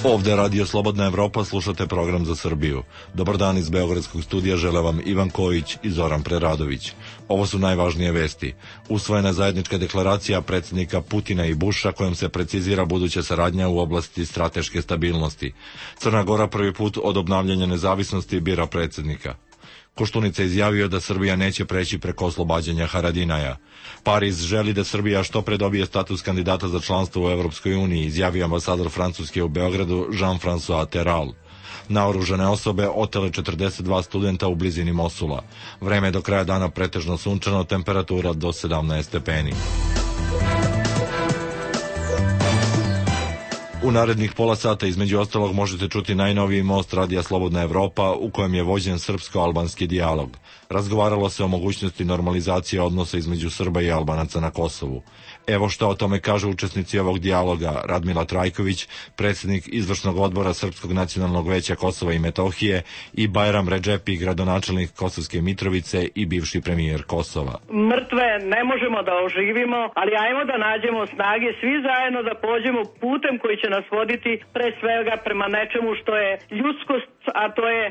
Ovde Radio Slobodna Evropa, slušate program za Srbiju. Dobar dan iz Beogradskog studija, žele vam Ivan Kojić i Zoran Preradović. Ovo su najvažnije vesti. Usvojena je zajednička deklaracija predsjednika Putina i Busha kojom se precizira buduća saradnja u oblasti strateške stabilnosti. Crna Gora prvi put od obnavljanja nezavisnosti bira predsjednika. Koštunica izjavio da Srbija neće preći preko oslobađanja Haradinaja. Pariz želi da Srbija što pre dobije status kandidata za članstvo u Evropskoj uniji, izjavio ambasador Francuske u Beogradu Jean-François Terral. Naoružane osobe otele 42 studenta u blizini Mosula. Vreme je do kraja dana pretežno sunčano, temperatura do 17 stepeni. U narednih pola sata između ostalog možete čuti najnoviji most Radija Slobodna Evropa u kojem je vođen srpsko-albanski dijalog. Razgovaralo se o mogućnosti normalizacije odnosa između Srba i Albanaca na Kosovu. Evo što o tome kažu učesnici ovog dijaloga: Radmila Trajković, predsjednik izvršnog odbora Srpskog nacionalnog veća Kosova i Metohije, i Bajram Redžepi, gradonačelnik Kosovske Mitrovice i bivši premijer Kosova. Mrtve ne možemo da oživimo, ali ajmo da nađemo snage svi zajedno da pođemo putem koji će nas voditi pre svega prema nečemu što je ljudskost, a to je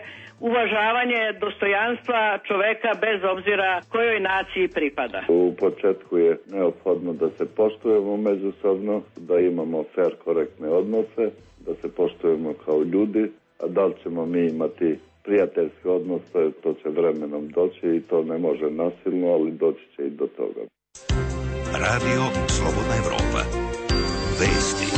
uvažavanje dostojanstva čoveka bez obzira kojoj naciji pripada. U početku je neophodno da se poštujemo međusobno, da imamo fair, korektne odnose, da se poštujemo kao ljudi, a da li ćemo mi imati prijateljske odnose, to će vremenom doći i to ne može nasilno, ali doći će i do toga. Radio Slobodna Evropa. Vesti.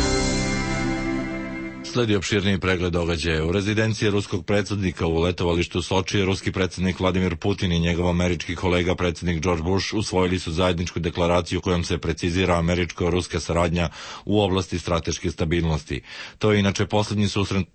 Sledi opširniji pregled događaja. U rezidenciji ruskog predsjednika u letovalištu Soči, ruski predsjednik Vladimir Putin i njegov američki kolega predsjednik George Bush usvojili su zajedničku deklaraciju kojom se precizira američko-ruska saradnja u oblasti strateške stabilnosti. To je inače posljednji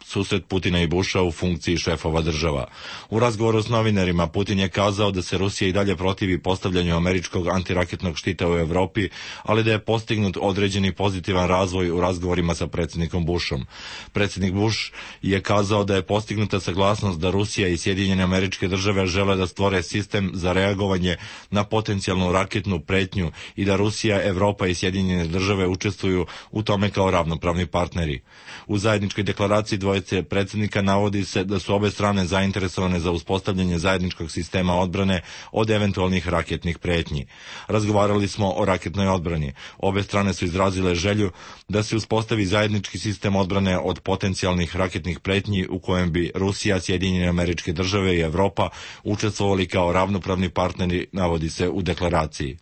susret Putina i Busha u funkciji šefova država. U razgovoru s novinarima Putin je kazao da se Rusija i dalje protivi postavljanju američkog antiraketnog štita u Evropi, ali da je postignut određeni pozitivan razvoj u razgovorima sa predsjednikom Bushom. Predsjednik Bush je kazao da je postignuta saglasnost da Rusija i Sjedinjene Američke Države žele da stvore sistem za reagovanje na potencijalnu raketnu pretnju i da Rusija, Evropa i Sjedinjene Države učestvuju u tome kao ravnopravni partneri. U zajedničkoj deklaraciji dvojice predsjednika navodi se da su obe strane zainteresovane za uspostavljanje zajedničkog sistema odbrane od eventualnih raketnih pretnji. Razgovarali smo o raketnoj odbrani. Obe strane su izrazile želju da se uspostavi zajednički sistem odbrane od potencijalnih raketnih pretnji u kojem bi Rusija, Sjedinjene Američke Države i Evropa učestvovali kao ravnopravni partneri, navodi se u deklaraciji.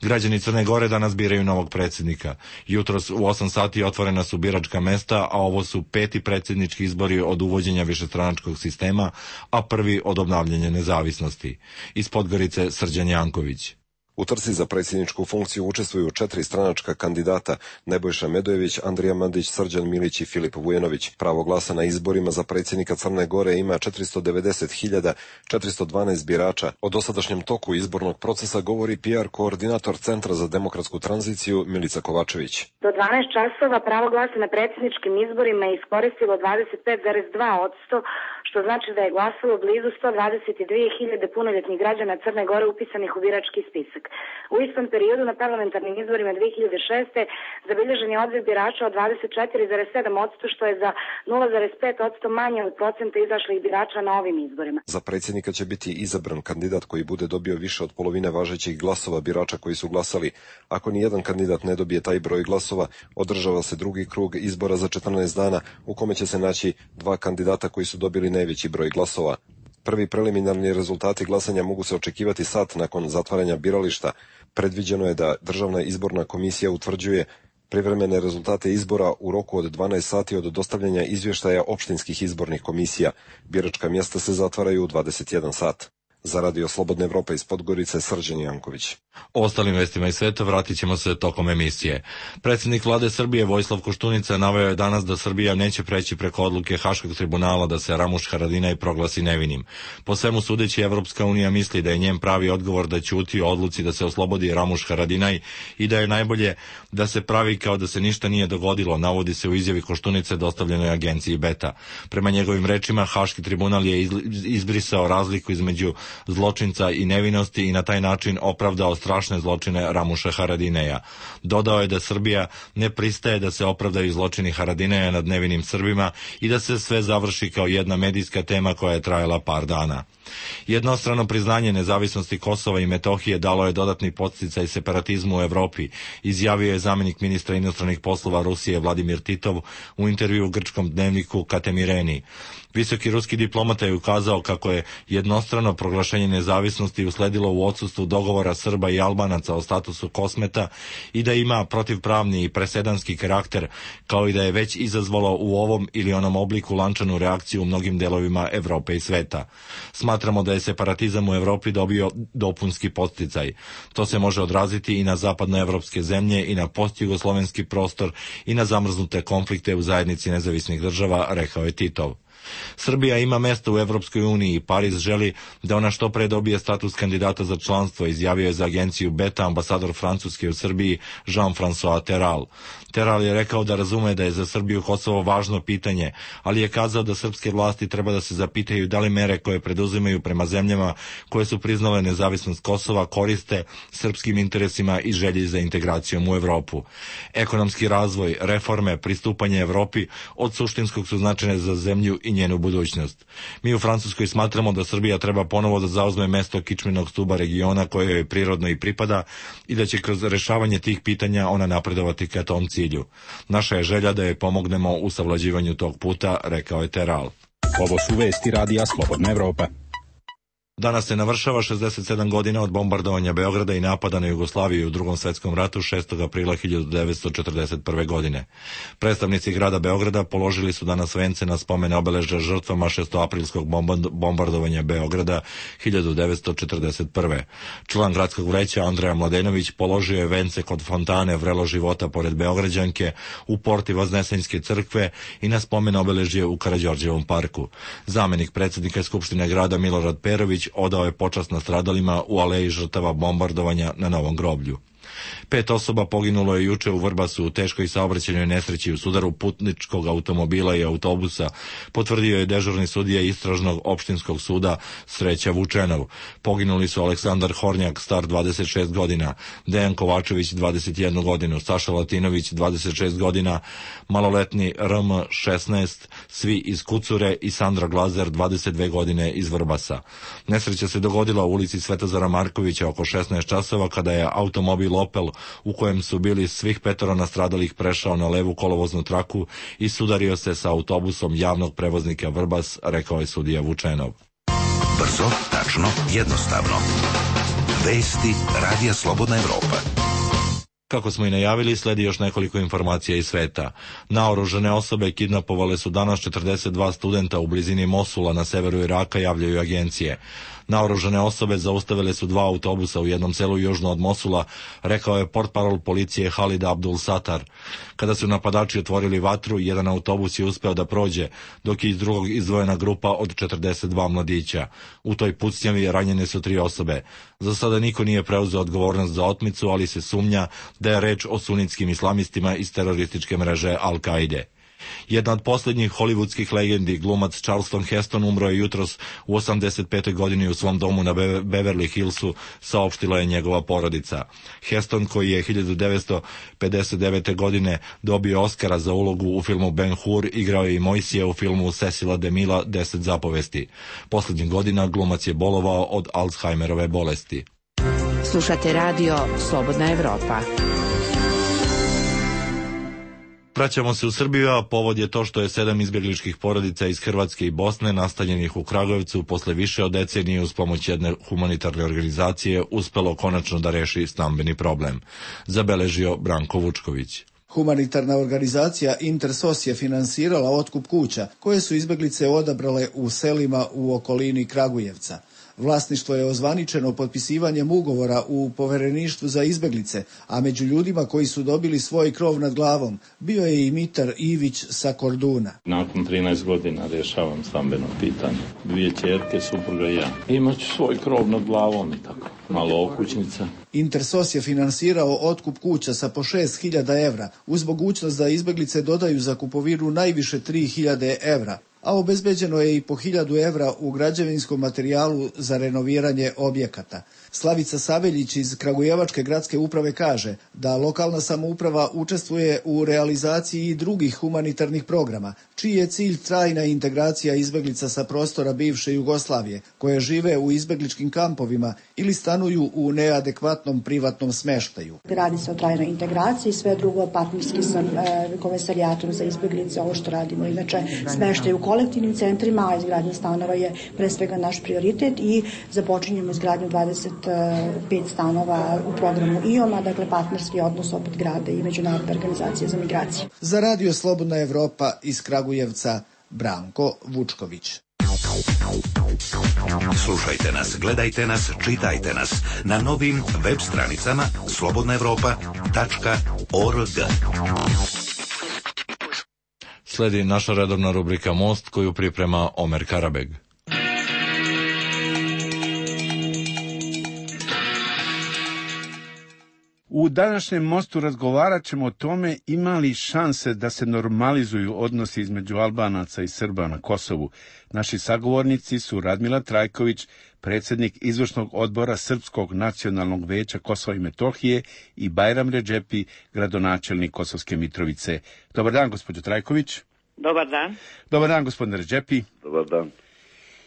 Građani Crne Gore danas biraju novog predsjednika. Jutros u 8 sati otvorena su biračka mesta, a ovo su 5. predsjednički izbori od uvođenja višestranačkog sistema, a prvi od obnavljanja nezavisnosti. Iz Podgorice Srđan Janković. U trci za predsjedničku funkciju učestvuju 4 stranačka kandidata: Nebojša Medojević, Andrija Mandić, Srđan Milić i Filip Vujanović. Pravo glasa na izborima za predsjednika Crne Gore ima 490.412 birača. O dosadašnjem toku izbornog procesa govori PR koordinator Centra za demokratsku tranziciju Milica Kovačević. Do 12 časova pravo glasa na predsjedničkim izborima je iskoristilo 25,2%, što znači da je glasalo blizu 122.000 punoljetnih građana Crne Gore upisanih u birački spisak. U istom periodu na parlamentarnim izborima 2006. zabilježen je odliv birača od 24,7%, što je za 0,5% manje od procenta izašlih birača na ovim izborima. Za predsjednika će biti izabran kandidat koji bude dobio više od polovine važećih glasova birača koji su glasali. Ako ni jedan kandidat ne dobije taj broj glasova, održava se drugi krug izbora za 14 dana u kome će se naći 2 kandidata koji su dobili najveći broj glasova. Prvi preliminarni rezultati glasanja mogu se očekivati sat nakon zatvaranja birališta. Predviđeno je da Državna izborna komisija utvrđuje privremene rezultate izbora u roku od 12 sati od dostavljanja izvještaja opštinskih izbornih komisija. Biračka mjesta se zatvaraju u 21 sat. Za Radio Slobodna Evropa iz Podgorice Srđan Janković. O ostalim vestima iz sveta vratit ćemo se tokom emisije. Predsjednik vlade Srbije Vojislav Koštunica naveo je danas da Srbija neće preći preko odluke Haškog tribunala da se Ramuš Haradinaj proglasi nevinim. Po svemu sudeći, Evropska unija misli da je njen pravi odgovor da ćuti o odluci da se oslobodi Ramuš Haradinaj i da je najbolje da se pravi kao da se ništa nije dogodilo, navodi se u izjavi Koštunice dostavljenoj agenciji Beta. Prema njegovim rečima, Haški tribunal je izbrisao razliku između zločinca i nevinosti i na taj način opravdao strašne zločine Ramuša Haradineja. Dodao je da Srbija ne pristaje da se opravdaju zločini Haradineja nad nevinim Srbima i da se sve završi kao jedna medijska tema koja je trajala par dana. Jednostrano priznanje nezavisnosti Kosova i Metohije dalo je dodatni podsticaj separatizmu u Evropi, izjavio je zamenik ministra inostranih poslova Rusije Vladimir Titov u intervju u grčkom dnevniku Katemireni. Visoki ruski diplomata je ukazao kako je jednostrano proglašenje nezavisnosti usledilo u odsustvu dogovora Srba i Albanaca o statusu Kosmeta i da ima protivpravni i presedanski karakter, kao i da je već izazvalo u ovom ili onom obliku lančanu reakciju u mnogim delovima Evrope i sveta. Smatramo da je separatizam u Evropi dobio dopunski podsticaj. To se može odraziti i na zapadnoevropske zemlje i na postjugoslovenski prostor i na zamrznute konflikte u zajednici nezavisnih država, rekao je Titov. Srbija ima mesto u Evropskoj uniji i Pariz želi da ona što pre dobije status kandidata za članstvo, izjavio je za agenciju Beta ambasador Francuske u Srbiji Jean-François Terral. Terral je rekao da razume da je za Srbiju Kosovo važno pitanje, ali je kazao da srpske vlasti treba da se zapitaju da li mere koje preduzimaju prema zemljama koje su priznale nezavisnost Kosova koriste srpskim interesima i želji za integracijom u Evropu. Ekonomski razvoj, reforme, pristupanje Evropi od suštinskog su značajne za zemlju i njenu budućnost. Mi u Francuskoj smatramo da Srbija treba ponovo da zauzme mesto kičmenog stuba regiona koje joj prirodno i pripada i da će kroz rešavanje tih pitanja ona napredovati ka tom cilju. Naša je želja da joj pomognemo u savlađivanju tog puta, rekao je Terral. Ovo su vesti Radija Slobodna Evropa. Danas se navršava 67 godina od bombardovanja Beograda i napada na Jugoslaviju u Drugom svetskom ratu 6. aprila 1941. godine. Predstavnici grada Beograda položili su danas vence na spomen obeležja žrtvama 6. bombardovanja Beograda 1941. Član gradskog vreća Andreja Mladenović položio je vence kod fontane Vrelo života pored Beograđanke, u porti Vaznesenjske crkve i na spomen obeležje u Karađorđevom parku. Zamenik predsjednika Skupštine grada Milorad Perović odao je počast nastradalima u aleji žrtava bombardovanja na Novom groblju. 5 osoba poginulo je juče u Vrbasu u teškoj saobraćajnoj nesreći u sudaru putničkog automobila i autobusa, potvrdio je dežurni sudija Istražnog opštinskog suda Sreća Vučenov. Poginuli su Aleksandar Hornjak, star 26 godina, Dejan Kovačević, 21 godinu, Saša Latinović, 26 godina, maloletni RM, 16, svi iz Kucure i Sandra Glazer, 22 godine, iz Vrbasa. Nesreća se dogodila u ulici Svetozara Markovića oko 16 časova kada je automobil Opel u kojem su bili svih 5 nastradalih prešao na levu kolovoznu traku i sudario se sa autobusom javnog prevoznika Vrbas, rekao je sudija Vučenov. Brzo, tačno, jednostavno. Vesti Radija Slobodna Evropa. Kako smo i najavili, sledi još nekoliko informacija iz sveta. Naoružane osobe kidnapovale su danas 42 studenta u blizini Mosula na severu Iraka, javljaju agencije. Naoružane osobe zaustavile su 2 autobusa u jednom selu južno od Mosula, rekao je portparol policije Halid Abdul Satar. Kada su napadači otvorili vatru, jedan autobus je uspeo da prođe, dok je iz drugog izdvojena grupa od 42 mladića. U toj pucnjavi ranjene su 3 osobe. Za sada niko nije preuzeo odgovornost za otmicu, ali se sumnja da je reč o sunitskim islamistima iz terorističke mreže Al-Kaide. Jedna od posljednjih hollywoodskih legendi, glumac Charleston Heston, umro je jutros u 85. godini u svom domu na Beverly Hillsu, saopštila je njegova porodica. Heston, koji je 1959. godine dobio Oskara za ulogu u filmu Ben-Hur, igrao je i Mojsija u filmu Cecila DeMille 10 zapovesti. Posljednjih godina glumac je bolovao od Alzheimerove bolesti. Slušate radio Slobodna Evropa. Vraćamo se u Srbiju, a povod je to što je 7 izbjegličkih porodica iz Hrvatske i Bosne, nastanjenih u Kragujevcu, posle više od decenije uz pomoć jedne humanitarne organizacije uspelo konačno da reši stambeni problem, zabeležio Branko Vučković. Humanitarna organizacija Intersos je finansirala otkup kuća koje su izbjeglice odabrale u selima u okolini Kragujevca. Vlasništvo je ozvaničeno potpisivanjem ugovora u povereništvu za izbjeglice, a među ljudima koji su dobili svoj krov nad glavom bio je i Mitar Ivić sa Korduna. Nakon 13 godina rješavam stambeno pitanje. 2 ćerke, supruga i ja. Imaću svoj krov nad glavom i tako. Malo okućnica. Intersos je finansirao otkup kuća sa po 6.000 evra, uz mogućnost da izbjeglice dodaju za kupovinu najviše 3.000 evra. a obezbeđeno je i po 1000 evra u građevinskom materijalu za renoviranje objekata. Slavica Saveljić iz Kragujevačke gradske uprave kaže da lokalna samouprava učestvuje u realizaciji i drugih humanitarnih programa, čiji je cilj trajna integracija izbeglica sa prostora bivše Jugoslavije, koje žive u izbegličkim kampovima ili stanuju u neadekvatnom privatnom smeštaju. Radi se o trajnoj integraciji, sve drugo partnerski sa komesarijatom za izbeglice, ovo što radimo. Inače, smeštaj u kolektivnim centrima, a izgradnja stanova je pre svega naš prioritet i započinjemo izgradnju 25 stanova u programu IOM-a, dakle partnerski odnos opet grada i Međunarodne organizacije za migracije. Za Radio Slobodna Evropa iz Kragujevca, Branko Vučković. Slušajte nas, gledajte nas, čitajte nas na novim web stranicama slobodnaevropa.org. Sledi naša redovna rubrika Most, koju priprema Omer Karabeg. U današnjem Mostu razgovarat ćemo o tome ima li šanse da se normalizuju odnosi između Albanaca i Srba na Kosovu. Naši sagovornici su Radmila Trajković, predsjednik izvršnog odbora Srpskog nacionalnog veća Kosova i Metohije, i Bajram Redžepi, gradonačelnik Kosovske Mitrovice. Dobar dan, gospođo Trajković. Dobar dan. Dobar dan, gospodine Redžepi. Dobar dan.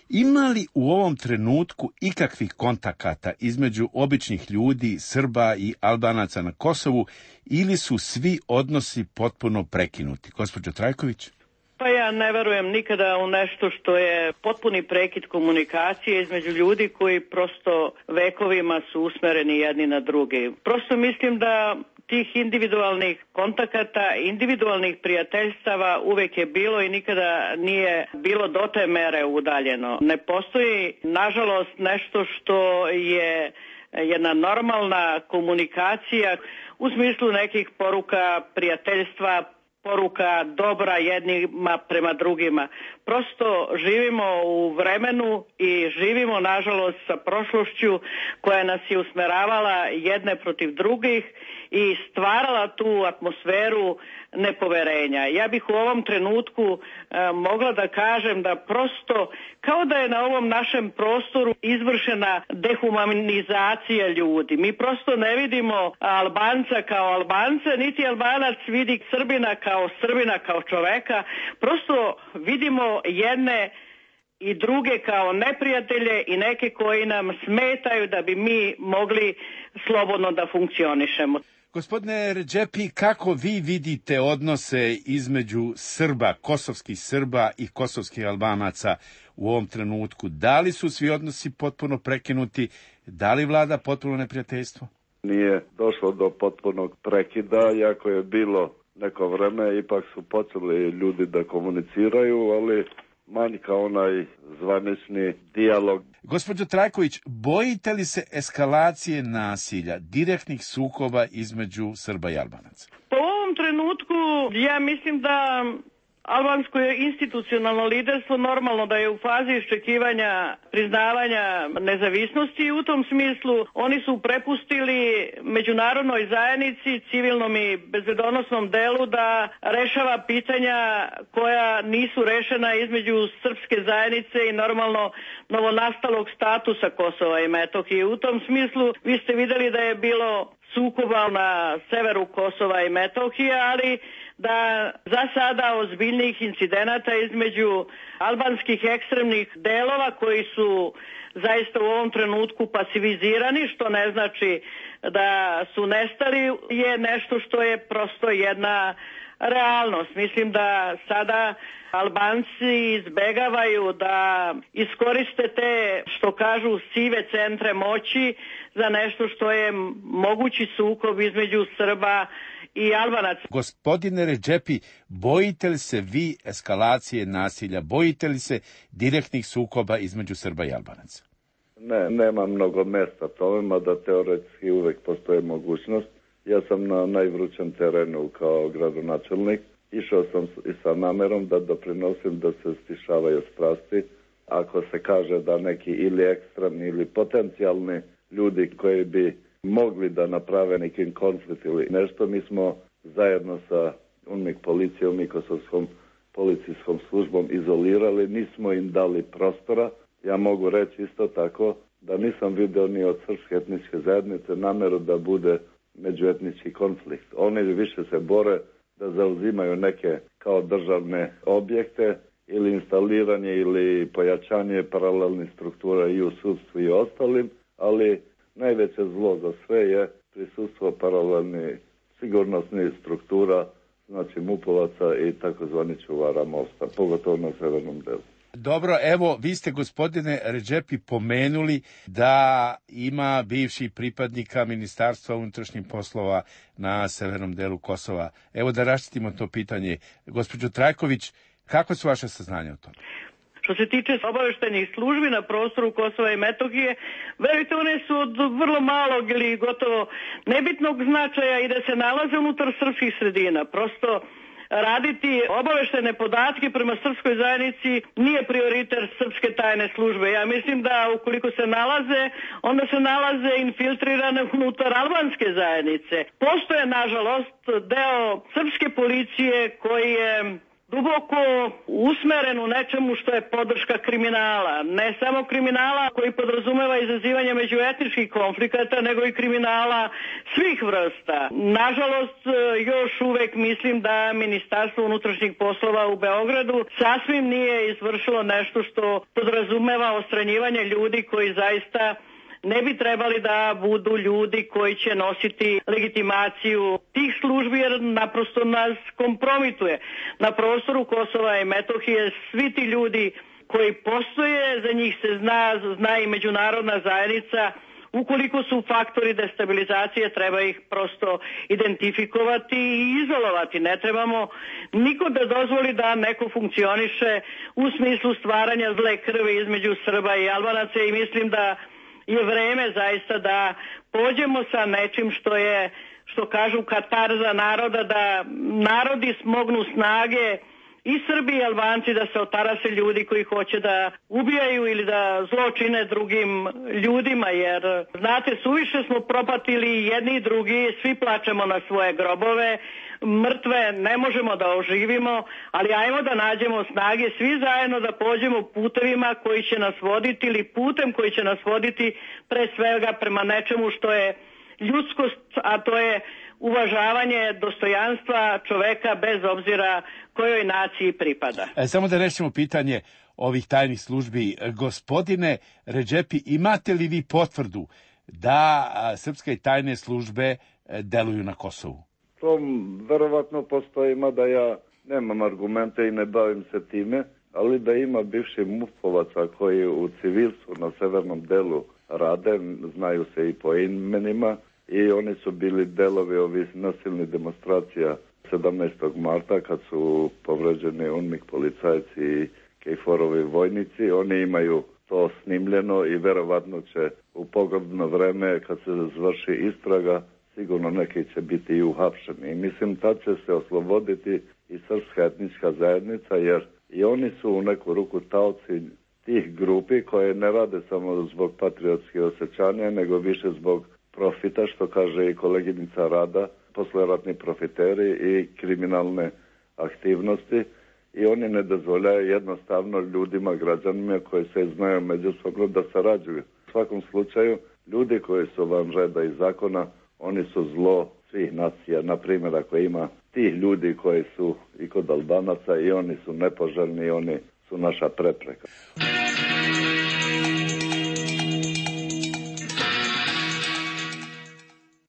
Ima li u ovom trenutku ikakvih kontakata između običnih ljudi, Srba i Albanaca na Kosovu, ili su svi odnosi potpuno prekinuti? Gospođo Trajković? Pa ja ne verujem nikada u nešto što je potpuni prekid komunikacije između ljudi koji prosto vekovima su usmereni jedni na druge. Prosto mislim da tih individualnih kontakata, individualnih prijateljstava uvek je bilo i nikada nije bilo do te mere udaljeno. Ne postoji, nažalost, nešto što je jedna normalna komunikacija u smislu nekih poruka prijateljstva, poruka dobra jednima prema drugima. Prosto živimo u vremenu i živimo, nažalost, sa prošlošću koja nas je usmeravala jedne protiv drugih i stvarala tu atmosferu nepoverenja. Ja bih u ovom trenutku mogla da kažem da prosto kao da je na ovom našem prostoru izvršena dehumanizacija ljudi. Mi prosto ne vidimo Albanca kao Albanca, niti Albanac vidi Srbina kao čoveka. Prosto vidimo jedne i druge kao neprijatelje i neke koji nam smetaju da bi mi mogli slobodno da funkcionišemo. Gospodine Redžepi, kako vi vidite odnose između Srba, kosovskih Srba i kosovskih Albanaca u ovom trenutku? Da li su svi odnosi potpuno prekinuti? Da li vlada potpuno neprijateljstvo? Nije došlo do potpunog prekida, iako je bilo neko vreme, ipak su počeli ljudi da komuniciraju, ali manjka onaj zvanični dijalog. Gospođo Trajković, bojite li se eskalacije nasilja, direktnih sukoba između Srba i Albanaca? Po ovom trenutku ja mislim da albansko institucionalno liderstvo normalno da je u fazi iščekivanja priznavanja nezavisnosti i u tom smislu oni su prepustili međunarodnoj zajednici, civilnom i bezbedonosnom delu da rešava pitanja koja nisu rešena između srpske zajednice i normalno novonastalog statusa Kosova i Metohije. U tom smislu vi ste videli da je bilo sukoba na severu Kosova i Metohije, ali da za sada ozbiljnih incidenata između albanskih ekstremnih delova koji su zaista u ovom trenutku pasivizirani, što ne znači da su nestali, je nešto što je prosto jedna realnost. Mislim da sada Albanci izbegavaju da iskoriste te, što kažu, sive centre moći za nešto što je mogući sukob između Srba i Albanaca. Gospodine Redžepi, bojite li se vi eskalacije nasilja? Bojite li se direktnih sukoba između Srba i Albanaca? Ne, nema mnogo mesta tome, da teoretski uvek postoje mogućnost. Ja sam na najvrućem terenu kao gradonačelnik. Išao sam i sa namerom da doprinosim da se stišavaju strasti. Ako se kaže da neki ili ekstremni ili potencijalni ljudi koji bi mogli da naprave nekim konflikt ili nešto, mi smo zajedno sa UNMIK policijom i kosovskom policijskom službom izolirali, nismo im dali prostora. Ja mogu reći isto tako da nisam vidio ni od srpske etničke zajednice nameru da bude međuetnički konflikt. Oni više se bore da zauzimaju neke kao državne objekte ili instaliranje ili pojačanje paralelnih struktura i u sudstvu i ostalim, ali najveće zlo za sve je prisustvo paralelnih sigurnosnih struktura, znači MUP-ovaca i takozvani čuvara mosta, pogotovo na severnom delu. Dobro, evo, vi ste, gospodine Redžepi, pomenuli da ima bivših pripadnika Ministarstva unutrašnjih poslova na severnom delu Kosova. Evo da raščistimo to pitanje. Gospođo Trajković, kako su vaše saznanja o tome? Što se tiče obaveštajnih službi na prostoru Kosova i Metohije, verujte, one su od vrlo malog ili gotovo nebitnog značaja i da se nalaze unutar srpskih sredina. Prosto raditi obaveštajne podatke prema srpskoj zajednici nije prioritet srpske tajne službe. Ja mislim da ukoliko se nalaze, onda se nalaze infiltrirane unutar albanske zajednice. Postoje, nažalost, deo srpske policije koji je duboko usmeren u nečemu što je podrška kriminala. Ne samo kriminala koji podrazumeva izazivanje međuetničkih konflikata, nego i kriminala svih vrsta. Nažalost, još uvek mislim da Ministarstvo unutrašnjih poslova u Beogradu sasvim nije izvršilo nešto što podrazumeva odstranjivanje ljudi koji zaista ne bi trebali da budu ljudi koji će nositi legitimaciju tih službi, jer naprosto nas kompromituje. Na prostoru Kosova i Metohije svi ti ljudi koji postoje, za njih se zna i međunarodna zajednica. Ukoliko su faktori destabilizacije, treba ih prosto identifikovati i izolovati. Ne trebamo niko da dozvoli da neko funkcioniše u smislu stvaranja zle krvi između Srba i Albanaca i mislim da je vreme zaista da pođemo sa nečim što kažu katarza naroda, da narodi smognu snage i Srbi i Albanci da se otarase ljudi koji hoće da ubijaju ili da zločine drugim ljudima, jer znate, suviše smo propatili jedni i drugi, svi plačemo na svoje grobove, mrtve ne možemo da oživimo, ali ajmo da nađemo snage svi zajedno da pođemo putevima koji će nas voditi ili putem koji će nas voditi pre svega prema nečemu što je ljudskost, a to je uvažavanje dostojanstva čoveka bez obzira kojoj naciji pripada. Samo da rešimo pitanje ovih tajnih službi. Gospodine Redžepi, imate li vi potvrdu da srpske tajne službe deluju na Kosovu? To verovatno postoji, mada ja nemam argumente i ne bavim se time, ali da ima bivših MUP-ovaca koji u civilstvu na severnom delu rade, znaju se i po imenima, i oni su bili delovi ovih nasilnih demonstracija 17. marta kad su povređeni UNMIK policajci i KFOR-ovi vojnici. Oni imaju to snimljeno i verovatno će u pogodno vreme kad se završi istraga sigurno neki će biti i uhapšeni. I mislim tad će se osloboditi i srpska etnička zajednica, jer i oni su u neku ruku taoci tih grupi koje ne rade samo zbog patriotskih osjećanja, nego više zbog profita, što kaže i koleginica Rada, posleratni profiteri i kriminalne aktivnosti, i oni ne dozvoljaju jednostavno ljudima, građanima koji se znaju međusobno da sarađuju. U svakom slučaju, ljudi koji su van reda i zakona, oni su zlo svih nacija. Na primjer, ako ima tih ljudi koji su i kod Albanaca i oni su nepoželjni i oni su naša prepreka.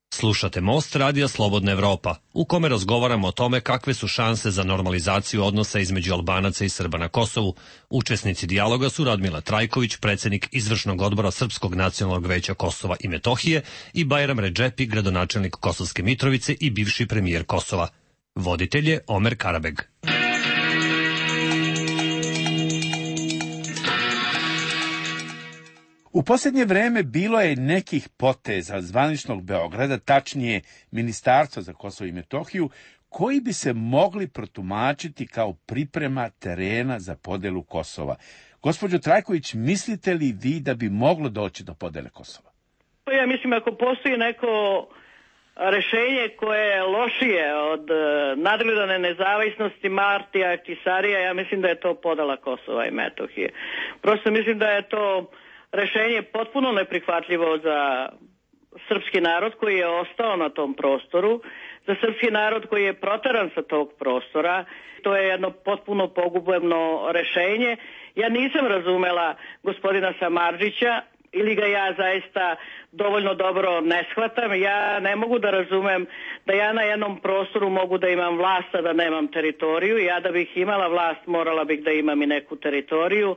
Slušate Most radija Slobodna Evropa, u kome razgovaramo o tome kakve su šanse za normalizaciju odnosa između Albanaca i Srba na Kosovu. Učesnici dijaloga su Radmila Trajković, predsjednik izvršnog odbora Srpskog nacionalnog veća Kosova i Metohije, i Bajram Redžepi, gradonačelnik Kosovske Mitrovice i bivši premijer Kosova. Voditelj je Omer Karabeg. U posljednje vreme bilo je nekih poteza zvaničnog Beograda, tačnije Ministarstva za Kosovo i Metohiju, koji bi se mogli protumačiti kao priprema terena za podelu Kosova. Gospođo Trajković, mislite li vi da bi moglo doći do podele Kosova? Ja mislim, ako postoji neko rešenje koje je lošije od nadgledane nezavisnosti Martija Ahtisarija, ja mislim da je to podela Kosova i Metohije. Prosto mislim da je to rešenje potpuno neprihvatljivo za srpski narod koji je ostao na tom prostoru, za srpski narod koji je proteran sa tog prostora. To je jedno potpuno pogubno rešenje. Ja nisam razumela gospodina Samardžića, ili ga ja zaista dovoljno dobro ne shvatam. Ja ne mogu da razumem da ja na jednom prostoru mogu da imam vlast, a da nemam teritoriju. Ja da bih imala vlast, morala bih da imam i neku teritoriju.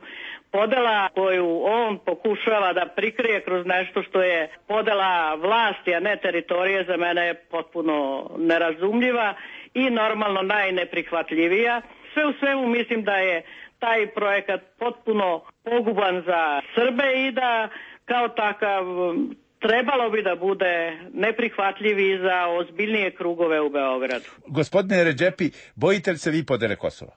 Podela koju on pokušava da prikrije kroz nešto što je podela vlasti, a ne teritorije, za mene je potpuno nerazumljiva i normalno najneprihvatljivija. Sve u svemu mislim da je taj projekat potpuno poguban za Srbe i da kao takav trebalo bi da bude neprihvatljiv i za ozbiljnije krugove u Beogradu. Gospodine Redžepi, bojite li se vi podele Kosova?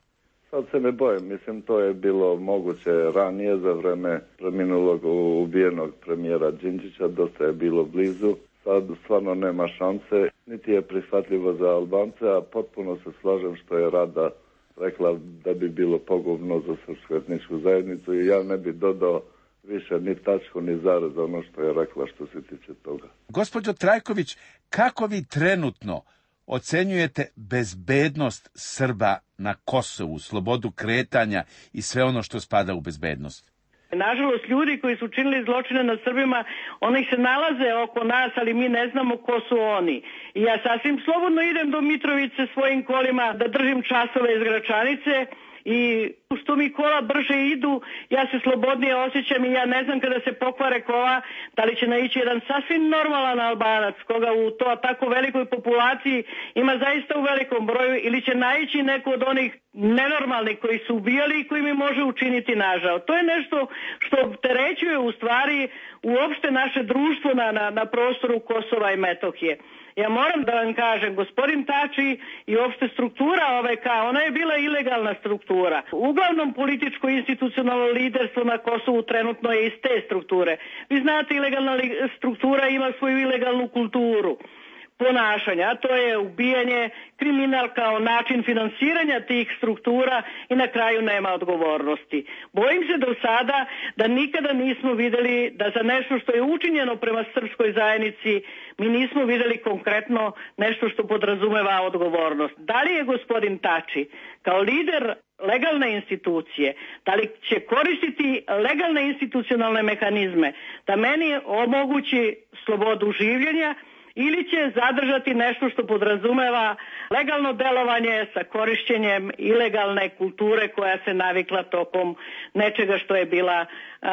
Sad se ne bojim, mislim to je bilo moguće ranije za vreme preminulog ubijenog premijera Đinđića, dosta je bilo blizu. Sad stvarno nema šanse, niti je prihvatljivo za Albance, a potpuno se slažem što je Rada rekla da bi bilo pogubno za srpsku etničku zajednicu i ja ne bi dodao više ni tačku ni zarez ono što je rekla što se tiče toga. Gospođo Trajković, kako vi trenutno ocenjujete bezbednost Srba na Kosovu, slobodu kretanja i sve ono što spada u bezbednost? Nažalost, ljudi koji su činili zločine nad Srbima, oni se nalaze oko nas, ali mi ne znamo ko su oni. I ja sasvim slobodno idem do Mitrovice svojim kolima da držim časove iz Gračanice i što mi kola brže idu, ja se slobodnije osjećam i ja ne znam kada se pokvare kola, da li će naići jedan sasvim normalan Albanac, koga u to tako velikoj populaciji ima zaista u velikom broju, ili će naići neko od onih nenormalnih koji su ubijali i koji mi može učiniti nažao. To je nešto što opterećuje u stvari uopšte naše društvo na prostoru Kosova i Metohije. Ja moram da vam kažem, gospodin Tači i uopšte struktura OVK, ona je bila ilegalna struktura. Uglavnom političko institucionalno liderstvo na Kosovu trenutno je iz te strukture. Vi znate, ilegalna struktura ima svoju ilegalnu kulturu ponašanja, a to je ubijanje, kriminal kao način finansiranja tih struktura i na kraju nema odgovornosti. Bojim se do sada da nikada nismo videli da za nešto što je učinjeno prema srpskoj zajednici mi nismo videli konkretno nešto što podrazumeva odgovornost. Da li je gospodin Tači kao lider legalne institucije, da li će koristiti legalne institucionalne mehanizme da meni omogući slobodu življenja ili će zadržati nešto što podrazumeva legalno delovanje sa korišćenjem ilegalne kulture koja se navikla tokom nečega što je bila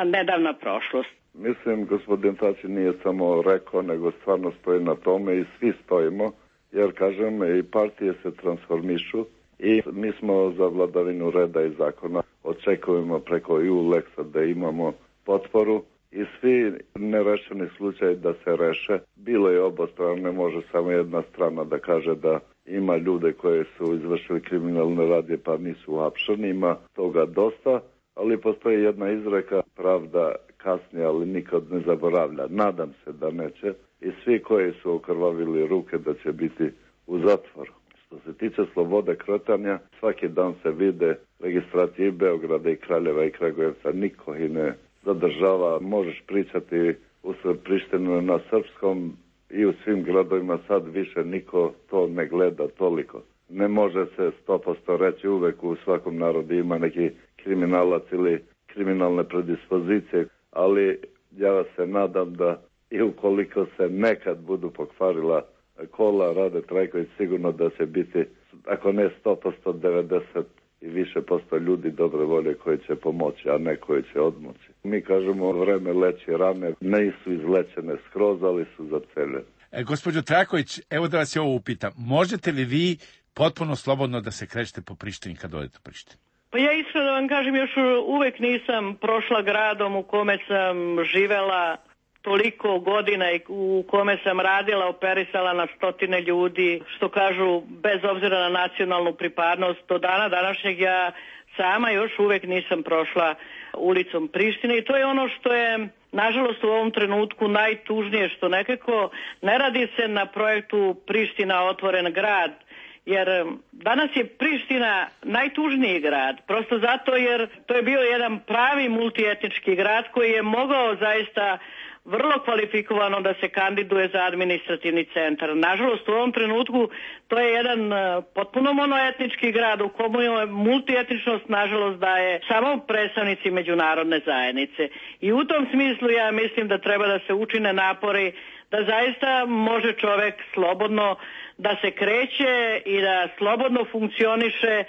nedavna prošlost. Mislim, gospodin Tači nije samo rekao, nego stvarno stoji na tome i svi stojimo, jer kažem, i partije se transformišu i mi smo za vladavinu reda i zakona. Očekujemo preko EU-Lexa da imamo potporu i svi nerešeni slučaj da se reše. Bilo je obostrano, ne može samo jedna strana da kaže da ima ljude koje su izvršili kriminalne radnje pa nisu uhapšeni, ima toga dosta, ali postoji jedna izreka, pravda kasnije, ali nikad ne zaboravlja. Nadam se da neće i svi koji su okrvavili ruke da će biti u zatvoru. Što se tiče slobode kretanja, svaki dan se vide registracije i Beograda i Kraljeva i Kragujevca, niko ih ne zadržava, možeš pričati u Prištinu na srpskom i u svim gradovima, sad više niko to ne gleda toliko. Ne može se 100% reći, uvek u svakom narodu ima neki kriminalac ili kriminalne predispozicije, ali ja se nadam da i ukoliko se nekad budu pokvarila kola Rade Trajković, sigurno da će biti, ako ne 100%, 90% i više posto ljudi dobre volje koji će pomoći, a ne koji će odmoći. Mi kažemo, vreme leči rane, nisu izlečene skroz, ali su zaceljene. Gospođo Trajković, evo da vas je ovo upitam. Možete li vi potpuno slobodno da se krećete po Prištini kad odete u Prištinu? Pa ja iskreno da vam kažem, još uvek nisam prošla gradom u kome sam živela toliko godina i u kome sam radila, operisala na stotine ljudi, što kažu, bez obzira na nacionalnu pripadnost. Do dana današnjeg ja sama još uvek nisam prošla ulicom Prištine i to je ono što je nažalost u ovom trenutku najtužnije što nekako ne radi se na projektu Priština otvoren grad, jer danas je Priština najtužniji grad, prosto zato jer to je bio jedan pravi multietnički grad koji je mogao zaista vrlo kvalifikovano da se kandiduje za administrativni centar. Nažalost, u ovom trenutku to je jedan potpuno monoetnički grad u komu je multietničnost, nažalost, daje samo predstavnici međunarodne zajednice. I u tom smislu ja mislim da treba da se učine napori da zaista može čovek slobodno da se kreće i da slobodno funkcioniše,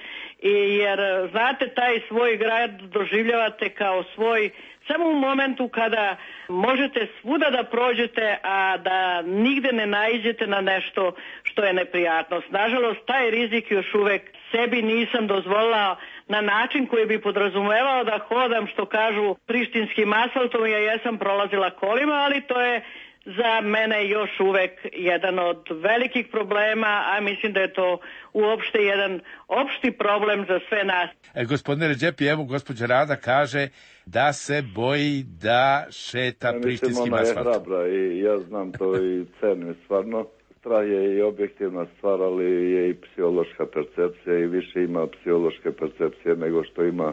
jer znate, taj svoj grad doživljavate kao svoj samo u momentu kada možete svuda da prođete, a da nigde ne naiđete na nešto što je neprijatnost. Nažalost, taj rizik još uvek sebi nisam dozvolila na način koji bi podrazumevao da hodam, što kažu, prištinskim asfaltom. Ja jesam prolazila kolima, ali to je za mene još uvek jedan od velikih problema, a mislim da je to uopšte jedan opšti problem za sve nas. Gospodine Redžepi, evo gospođa Rada kaže da se boji da šeta prištinskim asfaltom. Ona je hrabra i ja znam to i cenim stvarno. Strah je i objektivna stvar, ali je i psihološka percepcija i više ima psihološke percepcije nego što ima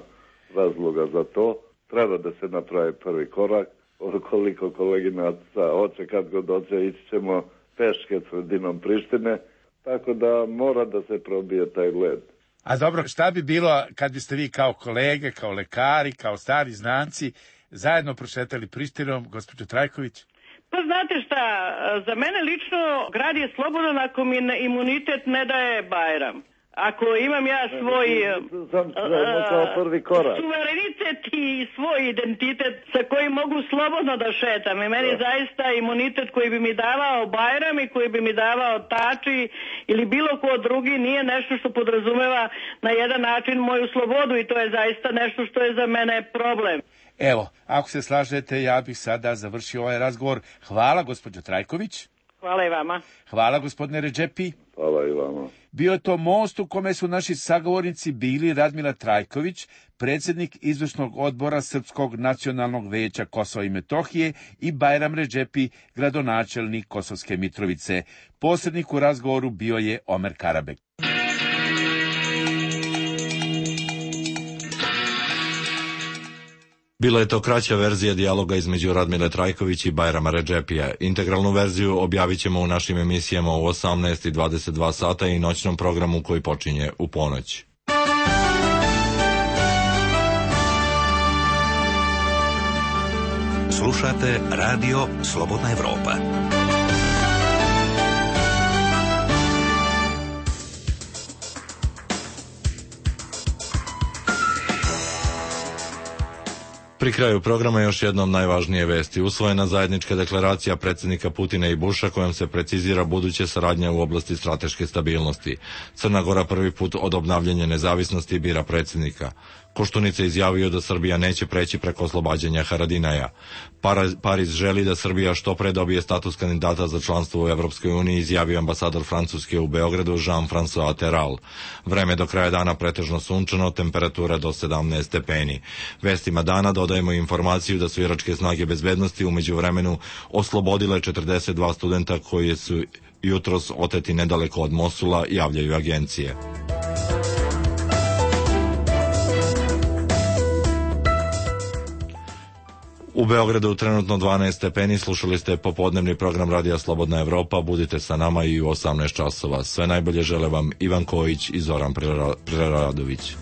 razloga za to. Treba da se napravi prvi korak. Koliko koleginaca hoće, kad god hoće, ići ćemo peške sredinom Prištine, tako da mora da se probije taj led. A dobro, šta bi bilo kad biste vi kao kolege, kao lekari, kao stari znanci zajedno prošetali Prištinom, gospođo Trajković? Pa znate šta, za mene lično grad je slobodan ako mi imunitet ne daje Bajram. Ako imam ja svoj suverenitet i svoj identitet sa kojim mogu slobodno da šetam, i meni zaista imunitet koji bi mi davao Bajram i koji bi mi davao Tači ili bilo ko drugi nije nešto što podrazumeva na jedan način moju slobodu, i to je zaista nešto što je za mene problem. Evo, ako se slažete, ja bih sada završio ovaj razgovor. Hvala, gospođo Trajković. Hvala i vama. Hvala, gospodine Redžepi. Hvala i vama. Bio je to most u kome su naši sagovornici bili Radmila Trajković, predsjednik izvršnog odbora Srpskog nacionalnog veća Kosova i Metohije, i Bajram Redžepi, gradonačelnik Kosovske Mitrovice. Posrednik u razgovoru bio je Omer Karabek. Bila je to kraća verzija dijaloga između Radmile Trajković i Bajrama Redžepija. Integralnu verziju objavit ćemo u našim emisijama u 18 i 22 sata i noćnom programu koji počinje u ponoć. Slušate Radio Slobodna Evropa. Pri kraju programa još jednom najvažnije vesti. Usvojena zajednička deklaracija predsjednika Putina i Busha kojom se precizira buduće saradnja u oblasti strateške stabilnosti. Crna Gora prvi put od obnavljanja nezavisnosti bira predsjednika. Koštunica izjavio da Srbija neće preći preko oslobađanja Haradinaja. Pariz želi da Srbija što pre dobije status kandidata za članstvo u Evropskoj uniji, izjavio ambasador Francuske u Beogradu Jean-François Terral. Vreme do kraja dana pretežno sunčano, temperatura do 17 stepeni. Vestima dana dodajemo informaciju da su iračke snage bezbednosti u međuvremenu oslobodile 42 studenta koji su jutros oteti nedaleko od Mosula, javljaju agencije. U Beogradu trenutno 12 stepeni, slušali ste popodnevni program Radija Slobodna Evropa, budite sa nama i u 18 časova. Sve najbolje žele vam Ivan Kojić i Zoran Preradović.